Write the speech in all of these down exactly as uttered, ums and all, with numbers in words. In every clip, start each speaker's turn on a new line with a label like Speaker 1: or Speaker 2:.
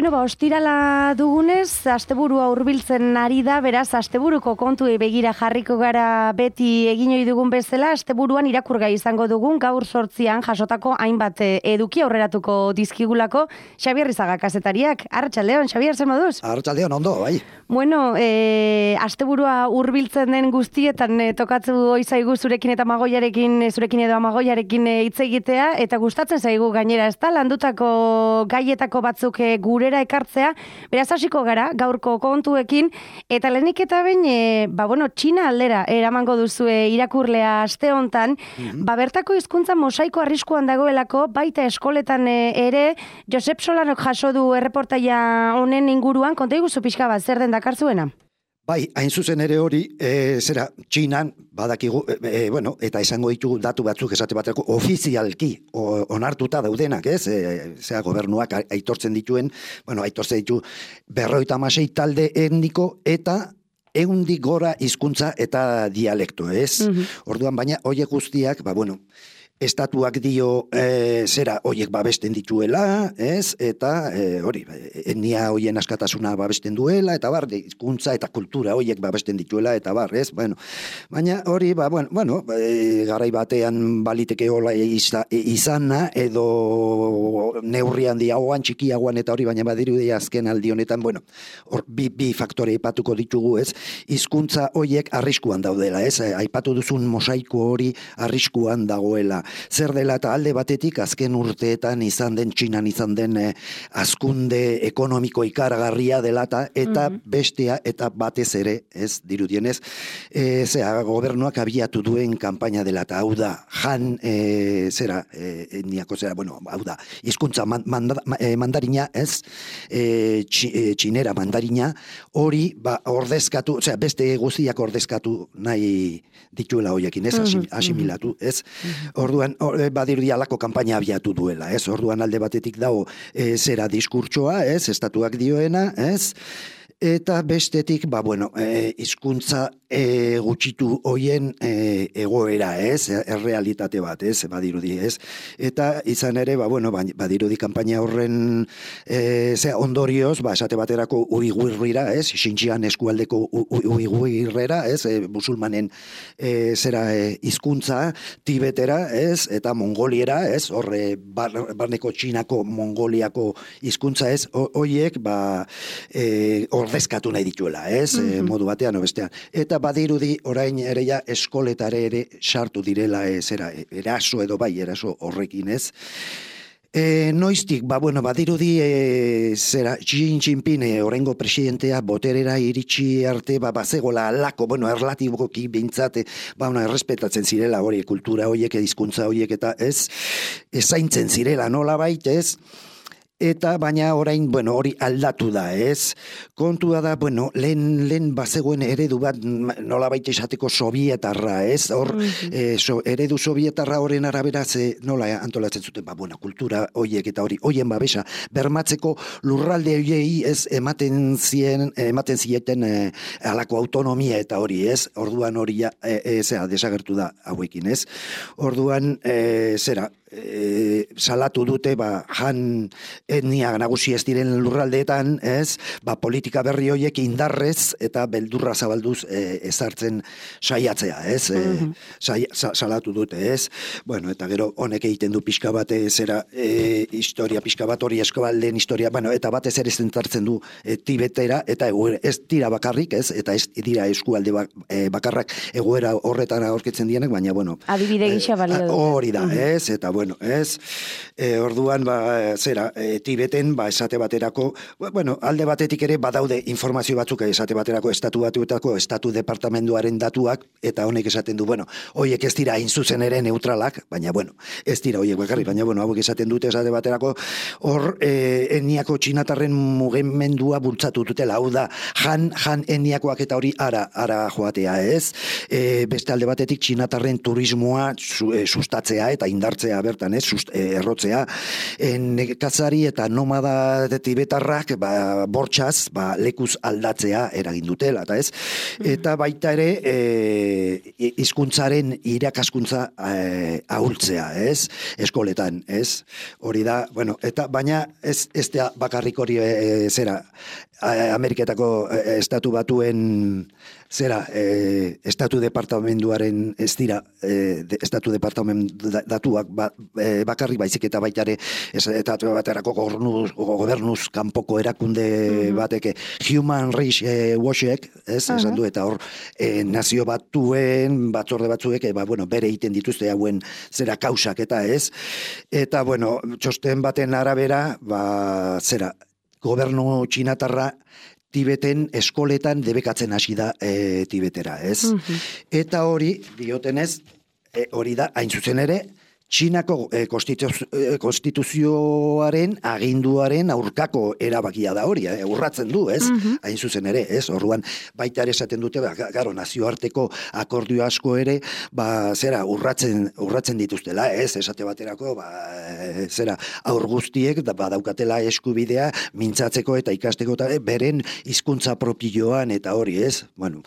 Speaker 1: Bueno, ba, ostirala dugunez, asteburua hurbiltzen ari da, beraz, asteburuko kontuei begira jarriko gara beti egin ohi dugun bezala, asteburuan irakurgai izango dugun, gaur sortzian jasotako hainbat eduki aurreratuko dizkigulako, Xabier Rizaga kazetariak. Arratsaldeon, Xabier, zer moduz?
Speaker 2: Arratsaldeon, ondo, bai.
Speaker 1: Bueno, e, asteburua hurbiltzen den guztietan e, tokatzu ohi zaigu zurekin eta Amagoiarekin, zurekin edo Amagoiarekin hitz egitea, eta gustatzen zaigu gainera, ezta, landutako gaietako batzuk e, gurera ekartzea, beraz hasiko gara gaurko kontuekin, eta lehenik eta behin, e, ba bueno, Txina aldera eramango duzue irakurlea aste hontan, mm-hmm. ba bertako hizkuntza mosaiko arriskuan dagoelako, baita eskoletan e, ere, Josep Solanok jaso du erreportaia honen inguruan, konta iguzu pixka bat, zer den dakarzuena?
Speaker 2: Bai, hain zuzen ere hori, e, zera, Txinan, badakigu, e, bueno, eta esango ditugu datu batzuk esate baterako ofizialki o, onartuta daudenak, ez? E, zera, gobernuak aitortzen dituen, bueno, aitortzen ditu berroita hamasei talde etniko eta ehundik gora hizkuntza eta dialekto, ez? Mm-hmm. Orduan, baina, horiek guztiak, ba, bueno, estatuak dio e, zera hoiek babesten dituela, ez? Eta e, hori, etnia hoien askatasuna babesten duela, eta bar, hizkuntza eta kultura hoiek babesten dituela, eta bar, ez? Bueno, baina hori, ba, bueno, bueno e, garai batean baliteke hola iza, izana, edo neurri handiagoan, txikiagoan, eta hori, baina badirudi azken aldi honetan, bueno, hor, bi, bi faktore aipatuko ditugu, ez? Hizkuntza hoiek arriskuan daudela, ez? Aipatu duzun mosaiko hori arriskuan dagoela. Zer dela eta alde batetik azken urteetan izan den, Txinan izan den eh, azkunde ekonomiko ikaragarria dela eta mm-hmm. bestea eta batez ere, ez dirudienez, e, zera, gobernuak abiatu duen kanpaina dela eta hau da, jan, e, zera, e, etniako zera, bueno, hau da, hizkuntza man, manda, e, mandarina, ez, e, txi, e, txinera mandarina, hori, ba, ordezkatu, zera, beste guztiak ordezkatu nahi dituela hoiekin, ez, mm-hmm. asimilatu, ez, mm-hmm. Orduan, badirudi alako kanpaina abiatu duela, ez? Orduan alde batetik dago e, zera diskurtsoa, ez? Estatuak dioena, ez? Eta bestetik, ba, bueno, e, hizkuntza e, gutxitu hoien e, egoera, ez? Errealitate bat, ez? Badirudi, ez? Eta izan ere, ba, bueno, badirudi kanpaina horren e, zera, ondorioz, ba, esate baterako uiguirrira, ez? Xinjian eskualdeko uiguirrera, ez? E, musulmanen e, zera e, hizkuntza tibetera, ez? Eta mongoliera, ez? Horre, bar, barneko Txinako mongoliako hizkuntza, ez? Hoiek, ba, e, ordezkatu nahi dituela, ez? Mm-hmm. E, modu batean, o bestean. Eta badirudi orain ere ja eskoletare ere sartu direla, ez, era, eraso edo bai, eraso horrekin, ez? E, noiztik, ba, bueno, badirudi e, zera, Xi Jinping e, orengo presidentea boterera iritsi arte, ba, bazegola alako, bueno, erlatiboki bintzate, ba, bueno, errespetatzen zirela hori, kultura horiek, hizkuntza horiek, eta ez, ezaintzen zirela nola bait, ez? Eta baina orain, bueno, hori aldatu da, ez? Kontua da, bueno, lehen, lehen bazegoen eredu bat nola baita esateko sovietarra, ez? Hor, mm-hmm. e, so, eredu sovietarra horren arabera ze nola antolatzen zuten, ba, bueno, kultura hoiek eta hori, hoien babesa, bermatzeko lurralde hoiei ez ematen zien, ematen zieten e, alako autonomia eta hori, ez? Orduan hori ja, e, e, zera, desagertu da hauekin, ez? Orduan, e, zera, E, salatu dute, ba, jan etnia nagusi ez diren lurraldeetan, ez, ba, politika berri horiek indarrez eta beldurra zabalduz e, ezartzen saiatzea, ez, mm-hmm. e, sai, sa, salatu dute, ez, bueno, eta gero honek egiten du pixka bat, zera, e, historia pixka bat hori eskualdeen historia, bueno, eta batez ere zentartzen du e, Tibetera, eta egoera, ez dira bakarrik, ez, eta ez dira eskualde bak, e, bakarrak egoera horretara aurkitzen dienek, baina, bueno,
Speaker 1: adibide gisa balio dute.
Speaker 2: Hori da, mm-hmm. ez, eta bueno, ez, e, orduan, ba, zera, e, Tibeten, ba, esate baterako, bueno, alde batetik ere badaude informazio batzuk, esate baterako estatu batuetako, estatu departamenduaren datuak, eta honek esaten du, bueno, hoiek ez dira hain zuzen ere neutralak, baina, bueno, ez dira hoiek bakarrik, baina, bueno, hauek esaten dute esate baterako, hor, e, etniako txinatarren mugimendua bultzatu dutela, hau da, jan, jan etniakoak eta hori ara, ara joatea, ez, e, beste alde batetik txinatarren turismoa su, e, sustatzea eta indartzea bertan, ez, Sust, eh, errotzea, nekazari eta nomada tibetarrak ba, bortxaz ba, lekuz aldatzea eragin dutela, eta ez? Eta baita ere e, hizkuntzaren irakaskuntza e, ahultzea, ez? Eskoletan, ez? Hori da, bueno, eta baina ez, ez da bakarrik hori e, zera, Ameriketako e, estatu batuen zera, e, estatu departamenduaren ez dira, e, de, estatu departamendu datuak ba, e, bakarrik baizik eta baitare estatu baterako gobernuz, gobernuz kanpoko erakunde mm-hmm. bateke Human Rights e, Watchek, ez, uh-huh. esan du, eta hor e, nazio batuen batzorde batzuek, e, ba, bueno, bere egiten dituzte hauen zera kausak eta ez, eta bueno, txosten baten arabera, ba, zera, gobernu txinatarra Tibeten eskoletan debekatzen hasi da e, Tibetera, ez? Uh-huh. Eta hori, diotenez, e, hori da, hain zuzen ere, Txinako e, konstituzio, e, konstituzioaren aginduaren aurkako erabakia da hori, e, urratzen du, ez? Uh-huh. Hain zuzen ere, ez? Orduan, baita ere esaten dute, ba, garo, nazioarteko akordio asko ere, ba, zera, urratzen, urratzen dituztela, ez? Esate baterako, ba, e, zera, aur guztiek, da, ba, daukatela eskubidea, mintzatzeko eta ikasteko, eta beren hizkuntza propioan eta hori, ez? Bueno,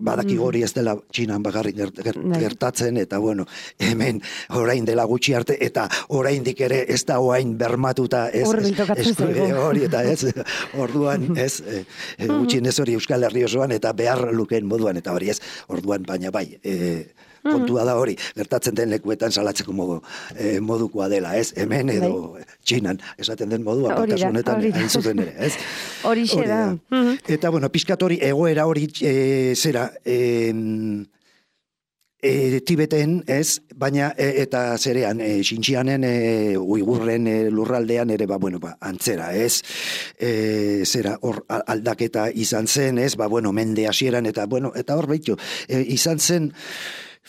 Speaker 2: badaki hori ez dela Txinan bakarrik gertatzen, eta bueno, hemen orain dela gutxi arte, eta oraindik ere ez da oain bermatuta, ez, hori, eta ez, orduan, ez, e, e, gutxien ez hori Euskal Herri osoan, eta behar lukeen moduan, eta hori ez, orduan, baina bai, e, kontua da hori, gertatzen den lekuetan salatzeko modu, eh, modukoa dela, ez? Hemen edo bai. Txinan, esaten den modua, kasu honetan hain zuzen ere, ez?
Speaker 1: Hori da.
Speaker 2: Eta, bueno, pixkat hori, egoera hori, e, zera, e, e, Tibeten, ez? Baina, e, eta zerean, e, Xinjianen, e, Uigurren e, lurraldean ere, ba, bueno, ba, antzera, ez? E, zera, hor aldaketa izan zen, ez? Ba, bueno, mende hasieran, eta, bueno, eta hor behitu, e, izan zen,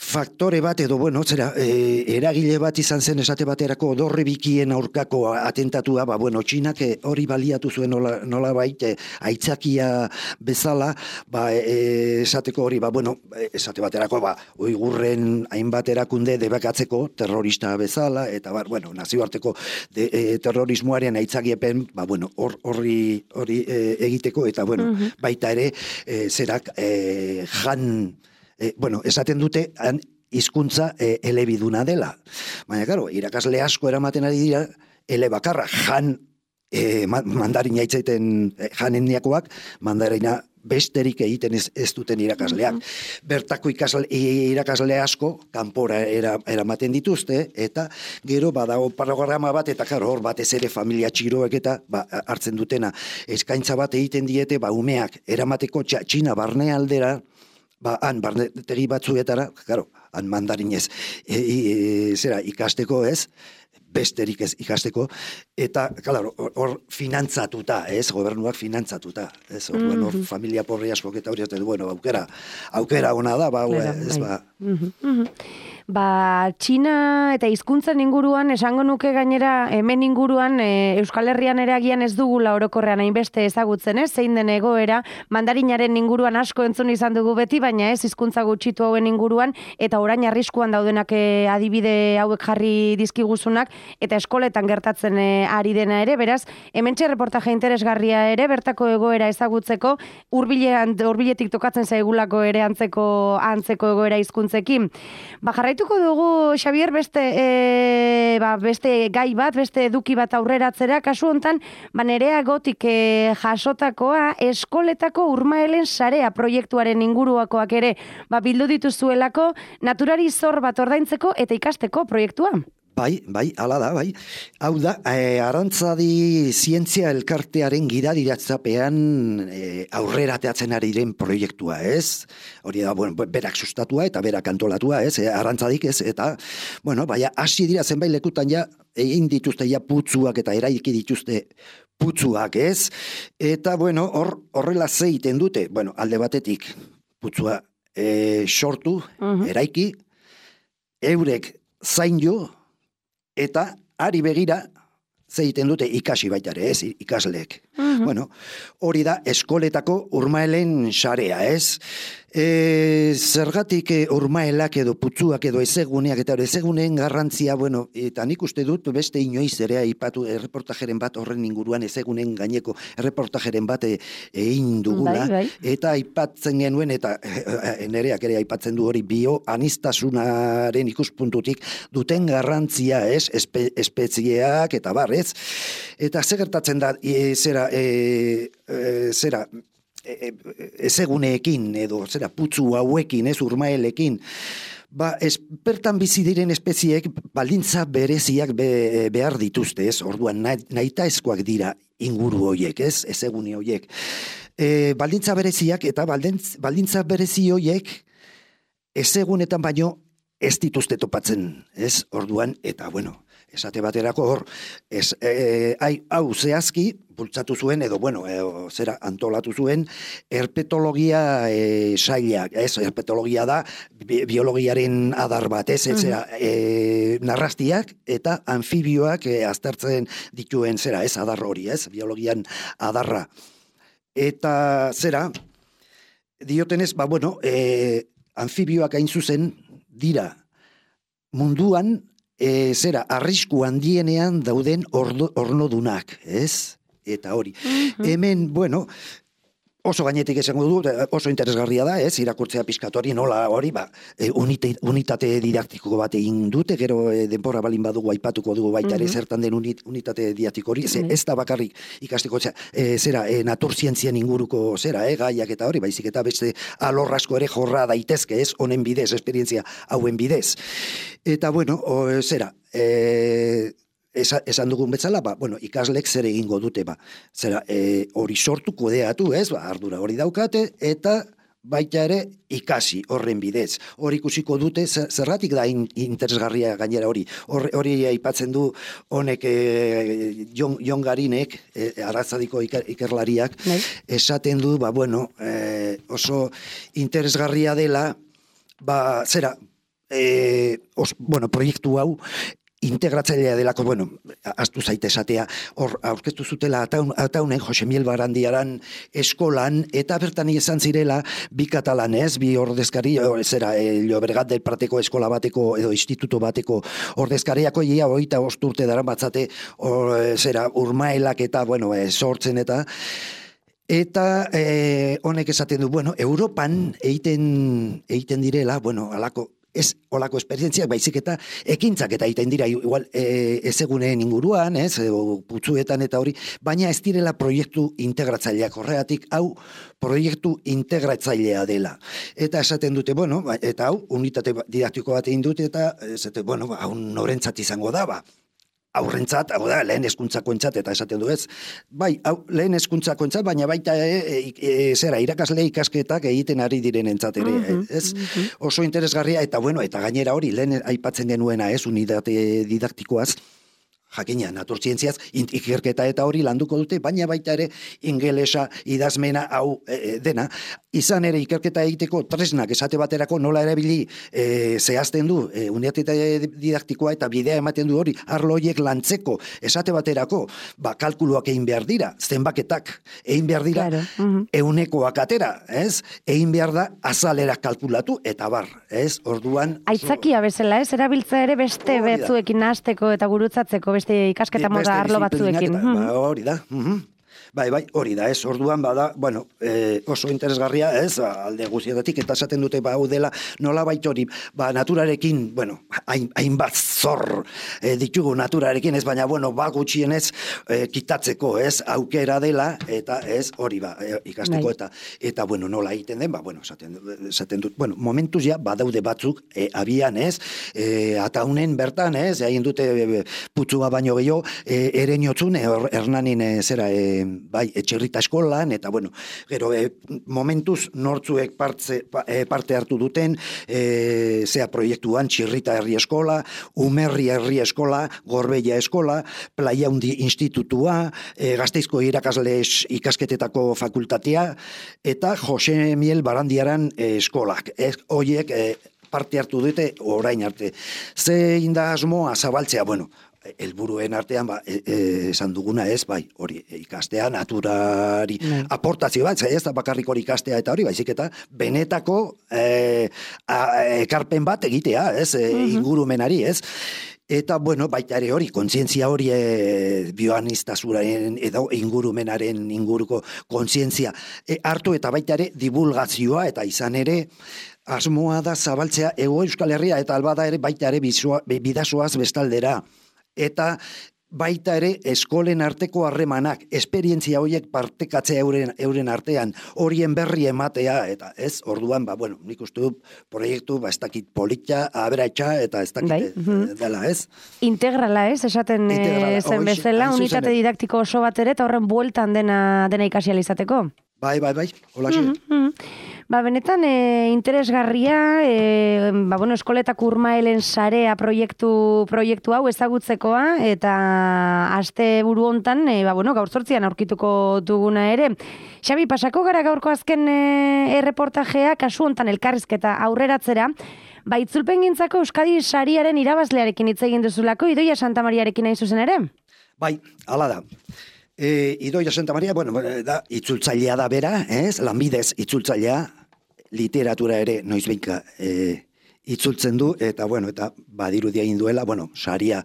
Speaker 2: faktore bat edo, bueno, zera, e, eragile bat izan zen esate baterako dorre bikien aurkako atentatua, ba, bueno, Txinak hori baliatu zuen nola, nola baite, aitzakia bezala, ba, e, esateko hori, ba, bueno, esate baterako, ba, Uigurren hainbat erakunde debekatzeko terrorista bezala, eta, ba, bueno, nazioarteko de, e, terrorismoaren aitzakiepen, ba, bueno, hor, horri, hori e, egiteko, eta, bueno, uh-huh. baita ere, e, zerak, e, jan, E, bueno, esaten dute han hizkuntza e, elebiduna dela. Baina, claro, irakasle asko eramaten ari dira, ele bakarra, jan e, mandarina itzaiten e, janenniakoak, mandarina besterik egiten ez, ez duten irakasleak. Mm-hmm. Bertako ikasle, irakasle asko, kanpora era, eramaten dituzte, eta gero badago programa bat, eta claro, hor batez ere familia txiroek eta ba, hartzen dutena. Eskaintza bat egiten diete, ba, umeak eramateko Txina barne aldera, ba, han, barnetegi batzuetara, claro, han mandarinez, e, e, zera, ikasteko ez, besterik ez ikasteko, eta, claro, hor finantzatuta, ez, gobernuak finantzatuta, ez, hor, mm-hmm. bueno, familia porri asko eta hori, bueno, aukera, aukera ona da, ba, claro, ez, bai. ba.
Speaker 1: Mm-hmm. Mm-hmm. Ba, Txina eta hizkuntzen inguruan, esango nuke gainera, hemen inguruan, e, Euskal Herrian ere agian ez dugula orokorrean hainbeste ezagutzen, ez? Zein den egoera, mandarinaren inguruan asko entzun izan dugu beti, baina ez hizkuntza gutxitu hauen inguruan, eta orain arriskuan daudenak e, adibide hauek jarri dizkiguzunak, eta eskoletan gertatzen e, ari dena ere, beraz, hementxe reportaje interesgarria ere, bertako egoera ezagutzeko, hurbilean, hurbiletik tokatzen zaigulako ere antzeko, antzeko egoera hizkuntzekin. Ba, jarraituko dugu, Xabier, beste, e, ba, beste gai bat, beste eduki bat aurreratzera, kasu hontan, ba, Nerea Gotik e, jasotakoa, eskoletako urmaelen sarea proiektuaren inguruakoak ere, ba, bildu dituzuelako, naturari zor bat ordaintzeko eta ikasteko proiektua.
Speaker 2: Bai, bai, ala da, bai. Hau da, e, Arantzadi zientzia elkartearen gidadiratzapean e, aurrera teatzen ari diren proiektua, ez? Hori da, bueno, berak sustatua eta berak antolatua, ez? E, Arantzadik, ez? Eta, bueno, baina, hasi dira zenbait lekutan ja, egin dituzte ja putzuak eta eraiki dituzte putzuak, ez? Eta, bueno, hor, horrela zeiten dute, bueno, alde batetik putzua e, sortu, uh-huh. eraiki, eurek zain jo, eta ari begira zeiten dute ikasi baita ere, ez, ikasleek. Bueno, hori da eskoletako urmaelen sarea, ez? E, zergatik e, urmaelak edo putzuak edo ezeguneak eta ezeguneen garrantzia, bueno, eta nik uste dut beste inoiz ere aipatu erreportajeren bat horren inguruan ezegunen gaineko erreportajeren bat egin dugula,
Speaker 1: bai, bai.
Speaker 2: eta aipatzen genuen, eta e, nereak ere aipatzen du hori bio anistasunaren ikuspuntutik duten garrantzia, ez, espe, espezieak eta bar, ez? Eta zer gertatzen da, e, zera, e, e, zera, ezeguneekin edo zera putzu hauekin, ez urmaelekin, ba, espertan bizi diren espeziek baldintza bereziak be, behar dituzte, ez? Orduan nahitaezkoak dira inguru hoiek, ez? Ezegune hoiek. E, baldintza bereziak eta baldintz, baldintza berezi hoiek ezegunetan baino ez dituzte topatzen, ez? Orduan, eta bueno, esate baterako hor, ez, e, ai, hau zehazki, bultzatu zuen, edo, bueno, e, zera antolatu zuen, herpetologia e, sailak, ez, herpetologia da, bi, biologiaren adar bat, ez, ez, zera, e, narrastiak eta anfibioak e, aztertzen dituen, zera, ez, adar hori, ez, biologian adarra. Eta, zera, diotenez, ba, bueno, e, anfibioak hain zuzen dira munduan, E, zera, arrisku handienean dauden ordo, ornodunak, ez? Eta hori. Mm-hmm. Hemen, bueno, oso gainetik esango du, oso interesgarria da, ez? Irakurtzea pixkat hori, nola hori, ba, e, unite, unitate didaktiko bat egin dute, gero e, denbora balin badugu aipatuko dugu baita ere, mm-hmm. zertan den unit, unitate didaktiko hori, ze, ez da bakarrik ikasteko, e, zera, e, naturzientzien inguruko, zera, e, gaiak eta hori, baizik eta beste alorrasko ere jorra daitezke, ez? Honen bidez, esperientzia hauen bidez. Eta, bueno, o, zera, e, esa, esan dugun betzala, ba, bueno, ikaslek zer egingo dute, ba, zera, e, hori sortu kudeatu, ez, ba, ardura hori daukate, eta baita ere ikasi horren bidez. Hori ikusiko dute, zerratik da in, interesgarria gainera hori. Hor, hori aipatzen du honek e, Jon, Jon Garinek, e, Arrazadiko iker, ikerlariak, Nei. esaten du, ba, bueno, e, oso interesgarria dela, ba, zera, E, os, bueno, proiektu hau integratzailea delako, bueno, astu zaite esatea, hor aurkeztu zutela ataun, ataunen Jose Miel Barandiaran eskolan, eta bertan izan zirela bi katalanez, bi ordezkari, zera, e, Llobregat del Prateko eskola bateko edo instituto bateko ordezkariako ia hogeita bost urte dara batzate, or, zera, urmaelak eta, bueno, e, sortzen eta Eta e, honek esaten du, bueno, Europan egiten, egiten direla, bueno, alako, ez olako esperientziak, baizik eta ekintzak eta egiten dira, igual e, ezeguneen inguruan, ez, edo putzuetan eta hori, baina ez direla proiektu integratzaileak, horregatik hau proiektu integratzailea dela. Eta esaten dute, bueno, eta hau, unitate didaktiko bat egin dute, eta esaten, bueno, hau norentzat izango da, ba, aurrentzat, hau da, lehen hezkuntzakoentzat eta esaten du ez. Bai, hau, lehen hezkuntzakoentzat, baina baita e, e, e, zera, irakasle ikasketak egiten ari direnentzat ere, uh-huh, ez? Uh-huh. Oso interesgarria, eta bueno, eta gainera hori, lehen aipatzen genuena ez, unitate didaktikoaz, jakina, naturzientziaz, ikerketa eta hori landuko dute, baina baita ere ingelesa, idazmena, hau e, dena, izan ere ikerketa egiteko tresnak esate baterako nola erabili e, zehazten du, e, unitate didaktikoa eta bidea ematen du hori, arlo horiek lantzeko esate baterako, ba, kalkuluak egin behar dira, zenbaketak egin behar dira, claro. uh-huh. eunekoak atera, ez? Egin behar da azalerak kalkulatu, eta bar, ez? Orduan...
Speaker 1: Aitzakia bezala, ez? Erabiltza ere beste betzuekin nahasteko eta gurutzatzeko beste ikasketa moda arlo batzuekin.
Speaker 2: Ba, hori da. Uh-huh. Bai, bai, hori da, ez, orduan bada, bueno, e, oso interesgarria, ez, alde guztietatik, eta esaten dute, ba, hau dela, nola baita hori, ba, naturarekin, bueno, hain, hainbat zor e, ditugu naturarekin, ez, baina, bueno, ba, gutxienez, e, kitatzeko, ez, aukera dela, eta ez, hori, ba, e, ikasteko, bai. eta, eta, bueno, nola egiten den, ba, bueno, esaten, esaten dut, bueno, momentuz ja, badaude batzuk, e, abian, ez, e, ataunen bertan, ez, egin dute e, putzua baino gehiago, e, ereinotzun, e, hernanin, e, zera, e, bai, etxerrita eskolan, eta bueno, gero, e, momentuz nortzuek partze, e, parte hartu duten, e, zea proiektuan, Txirrita herri eskola, Umerri herri eskola, Gorbeia eskola, Playa Undi institutua, e, Gasteizko irakasle ikasketetako fakultatea, eta Jose Miel Barandiaran e, eskolak. Ez, oiek, e, parte hartu dute orain arte. Zein da asmoa zabaltzea, bueno, helburuen artean, ba, e, e, esan duguna ez, bai, hori, ikastea, naturari, mm. aportazio bat, ez da bakarrik hori ikastea eta hori, baizik eta benetako e, a, ekarpen bat egitea, ez, e, mm-hmm. ingurumenari, ez, eta, bueno, baita ere hori, kontzientzia hori e, bioaniztasunaren edo ingurumenaren inguruko kontzientzia e, hartu eta baita ere divulgazioa eta izan ere asmoa da zabaltzea Hego Euskal Herria eta albada ere baita ere bidasoaz bestaldera. Eta baita ere eskolen arteko harremanak, esperientzia horiek partekatzea euren, euren artean, horien berri ematea, eta ez, orduan, ba, bueno, nik uste dut proiektu, ba, ez dakit politxa, aberatxa, eta ez dakit bai. Dela, ez?
Speaker 1: Integrala, ez, esaten Integrala, zen bezala, unitate didaktiko oso bat ere, eta horren bueltan dena, dena ikasializateko.
Speaker 2: Bai, bai, bai, hola xe.
Speaker 1: Mm-hmm. Ba, benetan, e, interesgarria, e, ba, bueno, eskoletak urmaelen sarea proiektu, proiektu hau ezagutzekoa, eta aste buru hontan, e, ba, bueno, gaur zortzian aurkituko duguna ere. Xabi, pasako gara gaurko azken e, erreportajea, kasu hontan elkarrizketa aurreratzera, ba, itzulpen gintzako Euskadi sariaren irabazlearekin hitz egin duzulako, Idoia Santa Mariarekin hain zuzen ere?
Speaker 2: Bai, hala da. E, Idoia Santa Maria, bueno, da, itzultzailea da bera, ez? Lanbidez itzultzailea, literatura ere noizbeinka e, itzultzen du, eta bueno, eta badirudia egin duela, bueno, saria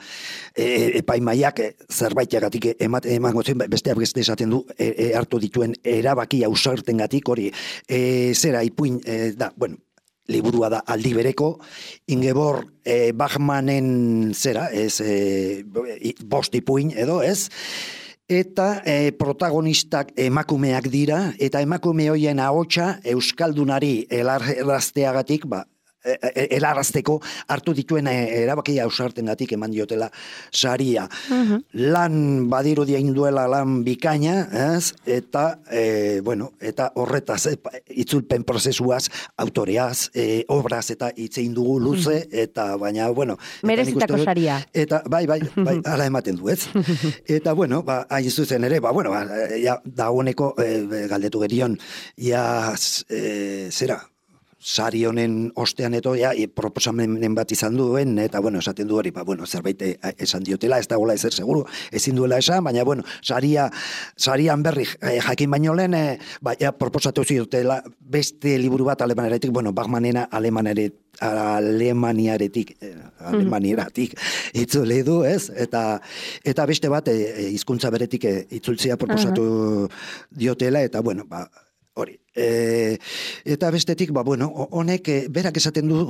Speaker 2: e, epaimaiak e, zerbaitagatik emate emango zen, besteak beste esaten du e, e, hartu dituen erabaki ausartengatik hori e, zera ipuin e, da, bueno, liburua da aldi bereko, Ingeborg e, Bachmanen zera, ez e, bost ipuin edo, ez? Eta e, protagonistak emakumeak dira, eta emakume hoien ahotsa euskaldunari helarazteagatik, ba, helarazteko hartu dituen erabakia ausartengatik eman diotela saria. Uh-huh. Lan badirudia induela lan bikaina, ez? Eta, e, bueno, eta horretaz, e, itzulpen prozesuaz, autoreaz, e, obraz eta hitzein dugu luze, uh-huh. eta baina, bueno...
Speaker 1: Merezitako saria.
Speaker 2: Eta, bai, bai, bai, ala ematen du, ez? Eta, bueno, ba, hain zuzen ere, ba, bueno, ba, ja, dagoeneko e, galdetu gerion, ja, e, zera, sari honen ostean eto, ja, proposamenen bat izan duen, eta, bueno, esaten du hori, ba, bueno, zerbait esan diotela, ez da gola ezer seguru, ezin duela esan, baina, bueno, saria, sarian berri eh, jakin baino lehen, eh, ba, ja, proposatu ziotela beste liburu bat alemanaretik, bueno, Bachmanena alemanaretik, alemaniaretik, eh, alemanieratik itzule du, ez? Eta, eta beste bat, eh, hizkuntza beretik eh, itzultzea proposatu uh-huh. diotela, eta, bueno, ba, hori. E, eta bestetik, ba, bueno, honek, e, berak esaten du,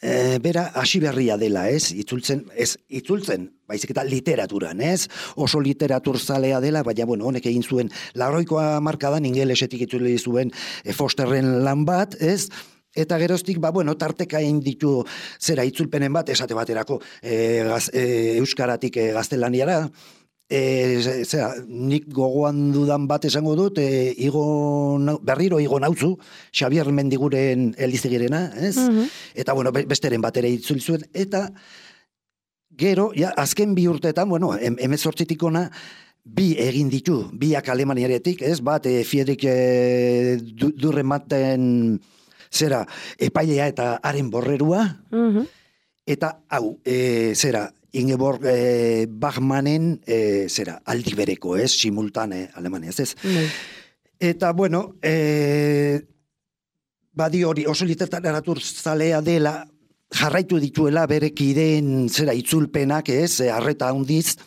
Speaker 2: e, bera hasi berria dela, ez? Itzultzen, ez, itzultzen, baizik eta literaturan, ez? Oso literaturzalea dela, baina, bueno, honek egin zuen, lauroikoa markadan ingelesetik itzule zuen e, Fosterren lan bat, ez? Eta geroztik, ba, bueno, tarteka egin ditu zera itzulpenen bat, esate baterako, e, gaz, e, euskaratik e, gaztelaniara, E, zera, nik gogoan dudan bat esango dut, e, igo, berriro igo nautzu, Xabier Mendiguren elizegirena, ez? Uh-huh. Eta, bueno, besteren bat ere itzuli zuen, eta gero, ja, azken bi urteetan, bueno, em, emezortzitik ona, bi egin ditu, biak alemaniaretik, ez? Bat, e, Friedrich e, du, Durrematen, zera, epailea eta haren borrerua, uh-huh. eta, hau, e, zera, Ingeborg eh, Bachmanen eh, zera, aldi bereko, ez, simultane Alemania, ez, ez. Mm. Eta, bueno, eh, badi hori oso literatur zalea dela, jarraitu dituela bere kideen zera itzulpenak, ez, harreta handiz,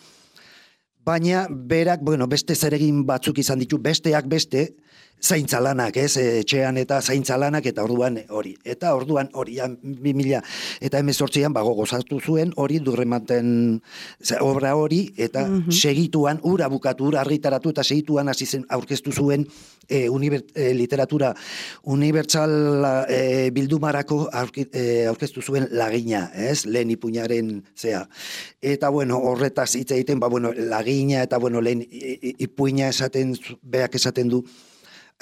Speaker 2: baina berak, bueno, beste zeregin batzuk izan ditu, besteak beste, zaintzalanak, ez, etxean eta zaintzalanak, eta orduan hori. Eta orduan hori, bi mila eta hemezortzian bago gozatu zuen, hori Durrematen obra hori, eta mm-hmm. segituan, ura bukatu, ura argitaratu, eta segituan hasi zen aurkeztu zuen e, uniber, e, literatura unibertsal e, bildumarako aurki, e, aurkeztu zuen lagina, ez, lehen ipuñaren zea. Eta, bueno, horretaz hitz egiten, ba, bueno, lagina, eta, bueno, lehen ipuina esaten, beak esaten du,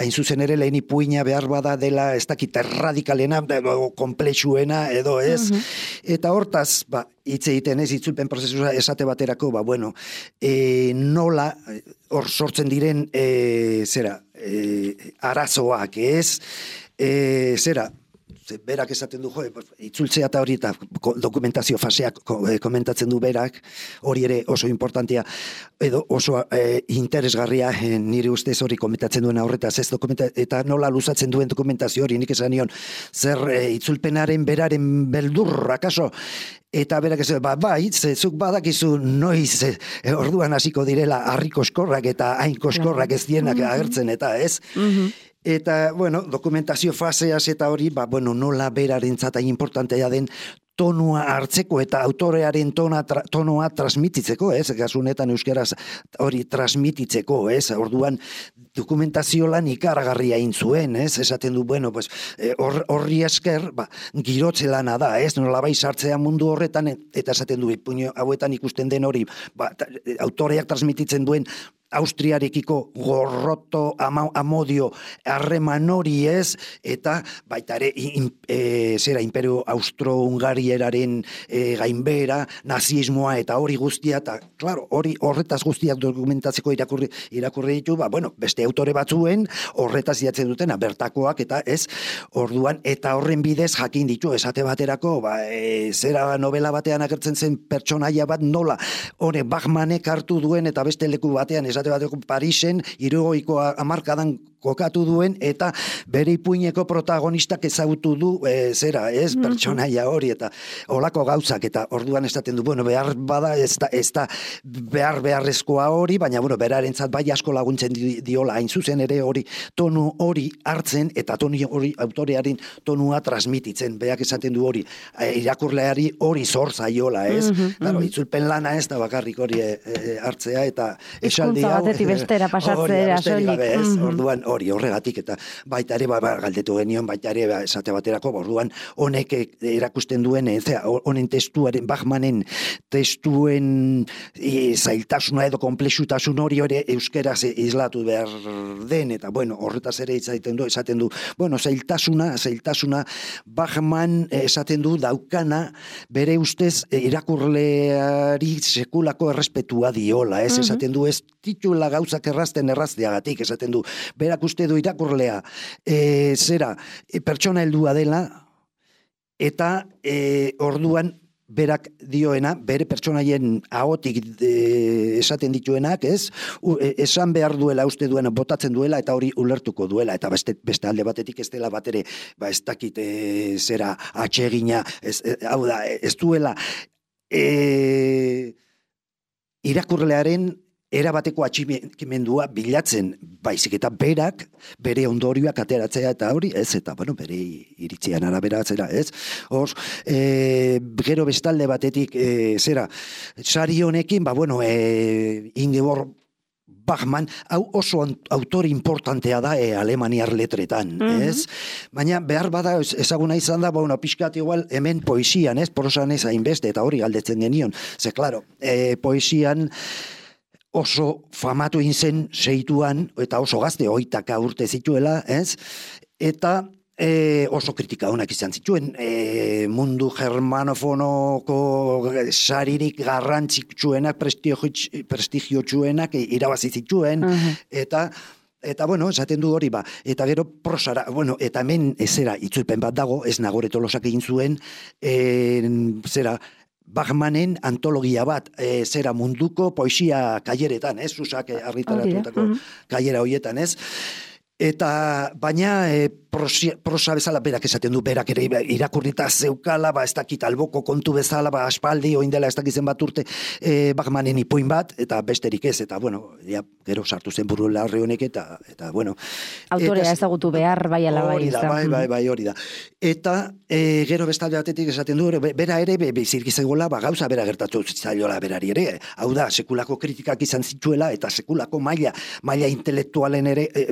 Speaker 2: hain zuzen ere lehen ipuina behar bada dela ez dakit erradikalena, edo komplexuena, edo ez. Uh-huh. Eta hortaz, ba, hitz egiten ez, itzulpen prozesua esate baterako, ba, bueno, e, nola, hor sortzen diren, e, zera, e, arazoak, ez, e, zera, Ze, berak esaten du, jo, itzultzea eta hori eta dokumentazio faseak komentatzen du berak, hori ere oso importantea, edo oso e, interesgarria e, nire ustez hori komentatzen duen horretaz, ez dokumenta, eta nola luzatzen duen dokumentazio hori, nik esan nion, zer e, itzulpenaren beraren beldurra, kaso, eta berak ez, ba, bai, zuk badakizu noiz e, orduan hasiko direla harri koskorrak eta hain koskorrak ez dienak agertzen, eta ez? Eta, bueno, dokumentazio faseaz eta hori, ba, bueno, nola berarentzat hain importantea den tonua hartzeko eta autorearen tona, tra, tonoa transmititzeko, ez? Gasunetan euskeraz hori transmititzeko, ez? Orduan dokumentazio lan ikaragarria egin zuen, ez? Esaten du, bueno, pues, hor, horri esker, ba, girotze lana da, ez? Nola bai sartzea mundu horretan, eta esaten du, puño hauetan ikusten den hori, ba, autoreak transmititzen duen Austriarekiko gorroto ama, amodio harreman hori ez, eta baita ere in, e, zera imperio austro-hungarieraren e, gainbera, nazismoa eta hori guztia, eta claro, hori horretaz guztiak dokumentatzeko irakurri, irakurri ditu, ba, bueno, beste autore batzuen horretaz idatzen dutena, bertakoak eta ez, orduan, eta horren bidez jakin ditu, esate baterako, ba, e, zera novela batean agertzen zen pertsonaia bat nola, hori Bachmanek hartu duen eta beste leku batean esate bateko Parisen, hirurogeiko hamarkadan kokatu duen, eta bere ipuineko protagonistak ezagutu du, e, zera, ez, pertsonaia hori, eta olako gauzak, eta orduan esaten du, bueno, behar bada, ez da, ez da behar beharrezkoa hori, baina, bueno, berarentzat bai asko laguntzen diola, hain zuzen ere hori, tonu hori hartzen, eta tonu hori autorearen tonua transmititzen, beak esaten du hori, e, irakurleari hori zor zaiola, ez? Mm -hmm, claro, itzulpen lana ez da bakarrik hori e, e, hartzea, eta esaldi hau,
Speaker 1: batetik bestera pasatzera,
Speaker 2: soilik. Orduan, hori horregatik, eta baita ere, ba, ba, galdetu genion, baita ere, ba, esate baterako, orduan, honek erakusten duen, ezea, honen testuaren, Bachmanen testuen e, zailtasuna edo komplexutasun hori hori euskeraz islatu behar den, eta bueno, horretaz ere izaten du, esaten du, bueno, zailtasuna, zailtasuna, Bachman esaten du daukana, bere ustez irakurleari sekulako errespetua diola, ez, esaten du, ez titula gauzak errazten errazteagatik, esaten du, berak uste du irakurlea, e, zera, e, pertsona heldua dela, eta e, orduan berak dioena, bere pertsonaien ahotik e, esaten dituenak, ez? U, e, esan behar duela, uste duena, botatzen duela, eta hori ulertuko duela, eta beste, beste alde batetik ez dela batere, ba ez dakit e, zera atsegina, ez, e, hau da, ez duela e, irakurlearen erabateko atximendua bilatzen, baizik eta berak, bere ondorioak ateratzea eta hori, ez, eta, bueno, bere iritzian araberatzera, ez, hor, e, gero bestalde batetik, e, zera, sari honekin, ba, bueno, e, Ingeborg Bachman, hau oso autore importantea da e, alemaniar letretan, mm-hmm. ez? Baina behar bada ezaguna izan da, bueno, pixkat igual hemen poesian, ez? Prosan ez hainbeste, eta hori galdetzen genion. Ze, klaro, e, poesian oso famatu inzen seituan, eta oso gazte, oitaka urte zituela, ez? Eta e, oso kritika honak izan zituen, e, mundu germanofonoko saririk garrantzitsuenak, prestigiotsuenak irabazi zituen, uh-huh. eta Eta, bueno, esaten du hori ba, eta gero prosara, bueno, eta hemen ezera itzulpen bat dago, ez Nagore Tolosak egin zuen, e, zera, Bachmanen antologia bat, e, zera munduko poesia kaileretan, ez, Susak argitaratutako uh-huh. kailera hoietan, ez, eta baina e, prosia, prosa bezala berak esaten du, berak ere irakurrita zeukala, ba, ez dakit alboko kontu bezala, ba, aspaldi, oindela ez dakizen bat urte, e, Bachmanen ipuin bat, eta besterik ez, eta, bueno, ja, gero sartu zen buru larri honek, eta, eta, bueno.
Speaker 1: Autorea ezagutu behar, bai ala bai.
Speaker 2: Hori da, bai, bai, bai, hori da. Eta, e, gero bestalde batetik esaten du, bera ere, be, bezirkizegoela, ba, gauza bera gertatu zitzaiola berari ere, hau da, sekulako kritikak izan zituela, eta sekulako maila, maila intelektualen ere, e,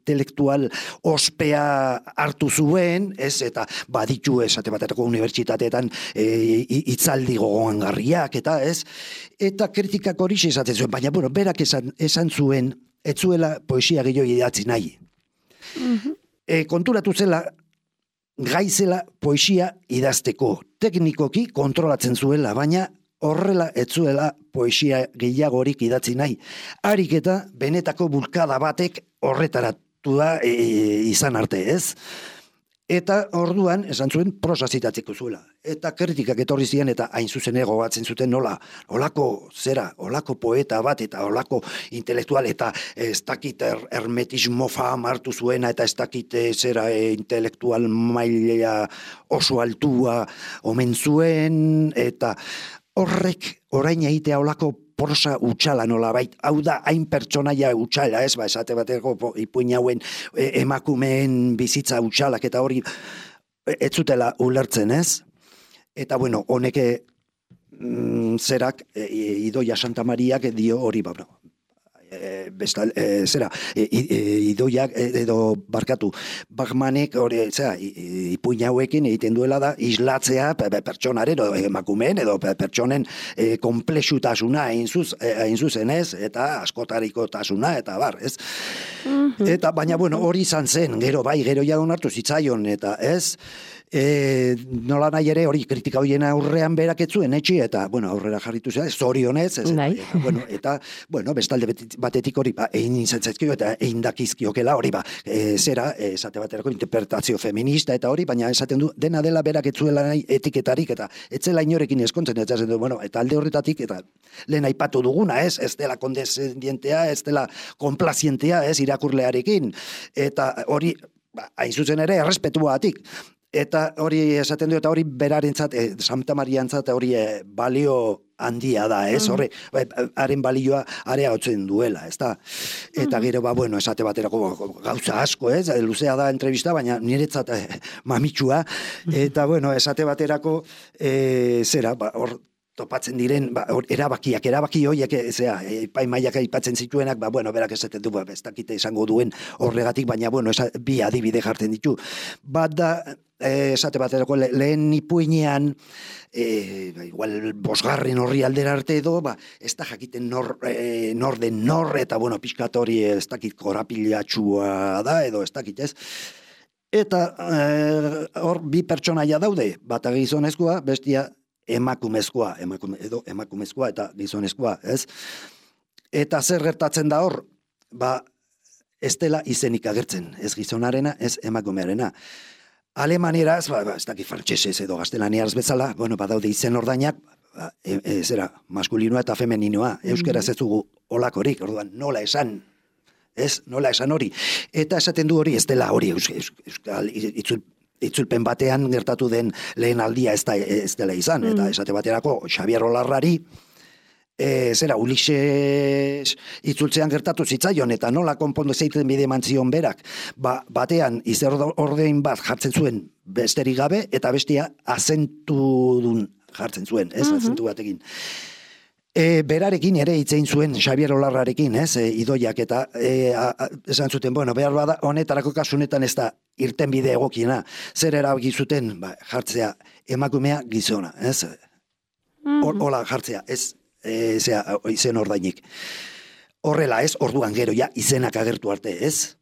Speaker 2: intelektual ospea hartu zuen, ez, eta baditu esate baterako unibertsitateetan e, itzaldi gogoangarriak, eta ez, eta kritikak hori esaten zuen, baina, bueno, berak esan, esan zuen, ez zuela poesia gehiago idatzi nahi. Mm-hmm. E, konturatu zela, gaizela poesia idazteko, teknikoki kontrolatzen zuela, baina horrela ez zuela poesia gehiagorik idatzi nahi. Harik eta benetako bulkada batek horretarat da e, izan arte, ez? Eta orduan, esan zuen, prosa zitatzeko zuela. Eta kritikak etorri ziren, eta hain zuzen egogatzen zuten nola, olako zera, olako poeta bat, eta olako intelektual, eta ez dakit er, hermetismo fama hartu zuena, eta ez dakit zera e, intelektual maila oso altua omen zuen, eta horrek orain egitea olako prosa utxala nolabait, hau da, hain pertsonaia utxala, ez, ba, esate bateko ipuin hauen e, emakumeen bizitza utxalak, eta hori ez zutela ulertzen, ez? Eta, bueno, honeke mm, zerak, e, Idoia Santa Mariak dio hori, ba, no, e, bestal, e, zera, e, e, Idoiak edo barkatu, Bachmanek hori, zera, ipuin hauekin egiten duela da, islatzea pertsonaren, edo emakumeen, edo pertsonen e, komplexutasuna hain zuz, hain zuzen ez, eta askotariko tasuna, eta bar, ez? Mm-hmm. Eta, baina, bueno, hori izan zen, gero, bai, gero ja onartu zitzaion, eta ez, E, nola nahi ere hori kritika horien aurrean berak etzuen etxi, eta, bueno, aurrera jarritu zera, zorionez, ez, eta, eta, bueno, eta, bueno, bestalde batetik hori, ba, egin izantzezkio, eta egin dakizkiokela hori, ba, e, zera, esate baterako interpretazio feminista, eta hori, baina esaten du, dena dela berak etzuela nahi etiketarik, eta etzela inorekin eskontzen, eta esaten du, bueno, eta alde horretatik, eta lehen aipatu duguna, ez, ez dela kondescendientea, ez dela komplazientea, ez, irakurlearekin, eta hori, ba, hain zuzen ere, errespetuatik. Eta hori esaten du, eta hori berarentzat, e, Santa Mariantzat hori e, balio handia da, ez? Horre, haren balioa area hotzen duela, ez da? Eta gero, ba, bueno, esate baterako gauza asko, ez? Luzea da entrevista, baina niretzat e, mamitxua. Eta, bueno, esate baterako, e, zera, ba, hor, topatzen diren, ba, erabakiak, erabaki horiek, zera, epaimaiak aipatzen zituenak, ba, bueno, berak esaten du, ba, ez dakite esango duen horregatik, baina, bueno, esa, bi adibide jartzen ditu. Bat da, eh, esate baterako le, lehen ipuinean, eh, igual bosgarren horri aldera arte edo, ba, ez da jakiten nor, eh, nor den nor, eta, bueno, pixkat hori ez dakit korapilatxua da, edo ez dakit, ez? Eta hor, bi pertsonaia daude, bata gizonezkoa, bestia emakumezkoa, emakume, edo emakumezkoa eta gizonezkoa, ez? Eta zer gertatzen da hor, ba, ez dela izenik agertzen, ez gizonarena, ez emakumearena. Alemanieraz, ba, ba, ez daki frantsesez edo gaztelaniaraz bezala, bueno, badaude izen ordainak, ba, e, e, zera, maskulinoa eta femeninoa, euskeraz ez dugu olakorik, orduan, nola esan, ez, nola esan hori. Eta esaten du hori, ez dela hori, euskal, itzul, itzulpen batean gertatu den lehen aldia ez, da, ez dela izan, eta esate baterako Xabier Olarrari, e, zera, Ulises itzultzean gertatu zitzaion, eta nola konpondo zeiten bide mantzion berak, ba, batean izer ordein bat jartzen zuen besterik gabe, eta bestia azentudun jartzen zuen, ez, azentu batekin. E, berarekin ere hitzein zuen Xabier Olarrarekin, ez, e, Idoiak, eta e, a, a, esan zuten, bueno, behar bada, honetarako kasunetan ez da irten bide egokiena, zer erabaki zuten, ba, jartzea emakumea gizona, ez, Or, hola jartzea, ez, e, zea, izen ordainik. Horrela, ez, orduan gero, ja, izenak agertu arte, ez,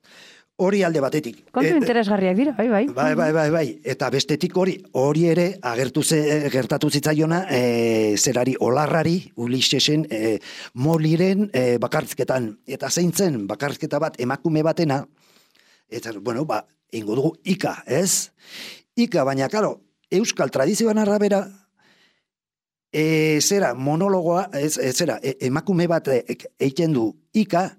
Speaker 2: hori alde batetik.
Speaker 1: Kontu interesgarriak dira, bai, bai.
Speaker 2: Bai, bai, bai, bai. Eta bestetik hori, hori ere agertu ze, gertatu zitzaiona, e, zerari Olarrari, Ulisesen, e, Moliren e, bakarrizketan. Eta zein zen bakarrizketa bat emakume batena, eta, bueno, ba, ingo dugu Ika, ez? Ika, baina, karo, euskal tradizioan arabera, e, zera, monologoa, ez, ez zera, e, emakume bat egiten du Ika,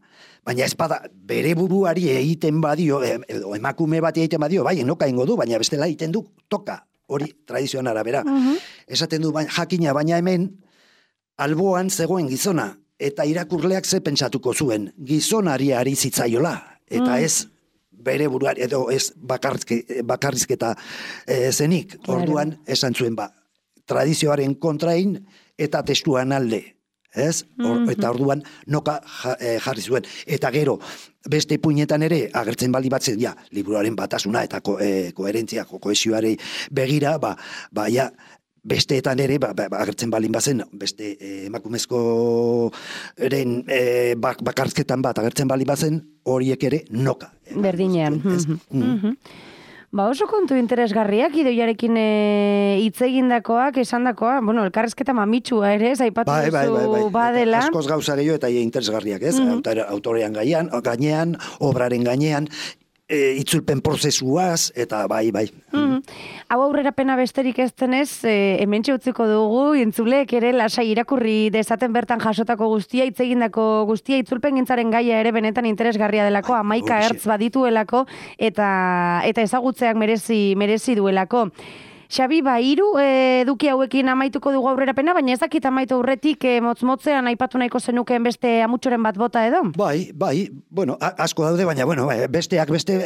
Speaker 2: baina ez bada bere buruari egiten badio, edo emakume bat egiten badio, bai, enoka ingo du, baina bestela egiten du toka, hori tradizioan arabera. Uh-huh. Esaten du, baina, jakina, baina hemen, alboan zegoen gizona, eta irakurleak ze pentsatuko zuen, gizonari ari zitzaiola, eta uh-huh. ez bere buruari, edo ez bakarrizke, bakarrizketa e, zenik, orduan esan zuen, ba, tradizioaren kontrain, eta testuan alde. Ez? Or, eta orduan noka jarri zuen. Eta gero, beste puinetan ere, agertzen bali batzen, ja, liburuaren batasuna eta ko, e, koherentzia, kohesioari begira, ba, ba, ja, besteetan ere, ba, ba, agertzen balin bazen, beste e, emakumezkoren e, bak, bakarrizketan bat agertzen bali bazen, horiek ere noka.
Speaker 1: Berdinean. Mm-hmm. Ba, oso kontu interesgarriak, Idoiarekin hitz e, egindakoak, esandakoa, bueno, elkarrezketa mamitsua ere, zaipatu
Speaker 2: bai, bai, bai, bai.
Speaker 1: badela.
Speaker 2: Askoz gauza gehiago eta interesgarriak, ez? Mm-hmm. Autorean gainean, gainean, obraren gainean, e, itzulpen prozesuaz, eta bai, bai.
Speaker 1: Mm. Hau aurrerapena besterik ez denez, e, hementxe utziko dugu, entzulek ere lasai irakurri dezaten bertan jasotako guztia, hitz egindako guztia, itzulpen gintzaren gaia ere benetan interesgarria delako, hamaika ertz badituelako, eta eta ezagutzeak merezi merezi duelako. Xabi, ba, hiru eduki hauekin amaituko dugu aurrerapena, baina ez dakit amaitu aurretik e, motz-motzean aipatu nahiko zenukeen beste amutxoren bat bota edo?
Speaker 2: Bai, bai, bueno, asko daude, baina, bueno, besteak beste,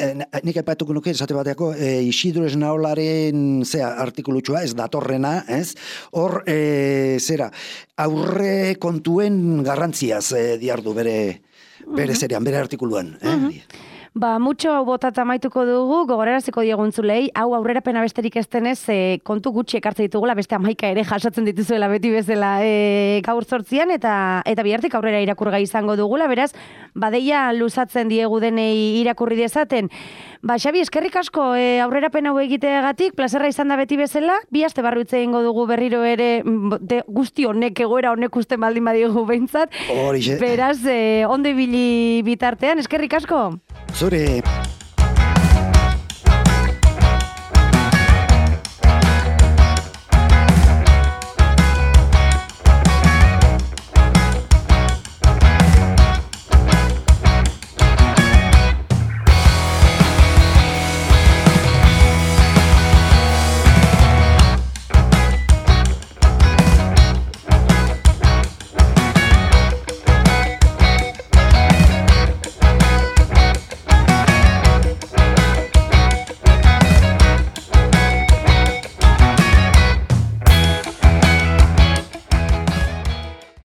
Speaker 2: nik aipatuko nuke, esate bateako, e, Isidro Esnaolaren, zera, artikulutxua, ez datorrena, ez? Hor, e, zera, aurre kontuen garrantziaz e, diardu bere, bere uh-huh. zerean, bere artikuluan, eh? Uh-huh.
Speaker 1: Ba, mutxo hau botata amaituko dugu, gogoraraziko dieguntzulei, hau aurrerapena besterik ez denez, e, kontu gutxi ekartze ditugula, beste hamaika ere jasotzen dituzuela beti bezala e, gaur zortzian, eta eta bihartik aurrera irakurgai izango dugula, beraz, badeia luzatzen diegu denei irakurri dezaten. Ba, Xabi, eskerrik asko e, aurrerapen hau egiteagatik, plazerra izan da beti bezala, bi aste barru hitz egingo dugu berriro ere de, guzti honek, egoera honek usten baldin badigu behintzat.
Speaker 2: Horixe.
Speaker 1: Beraz, e, onde bili bitartean, eskerrik asko.
Speaker 2: Zure.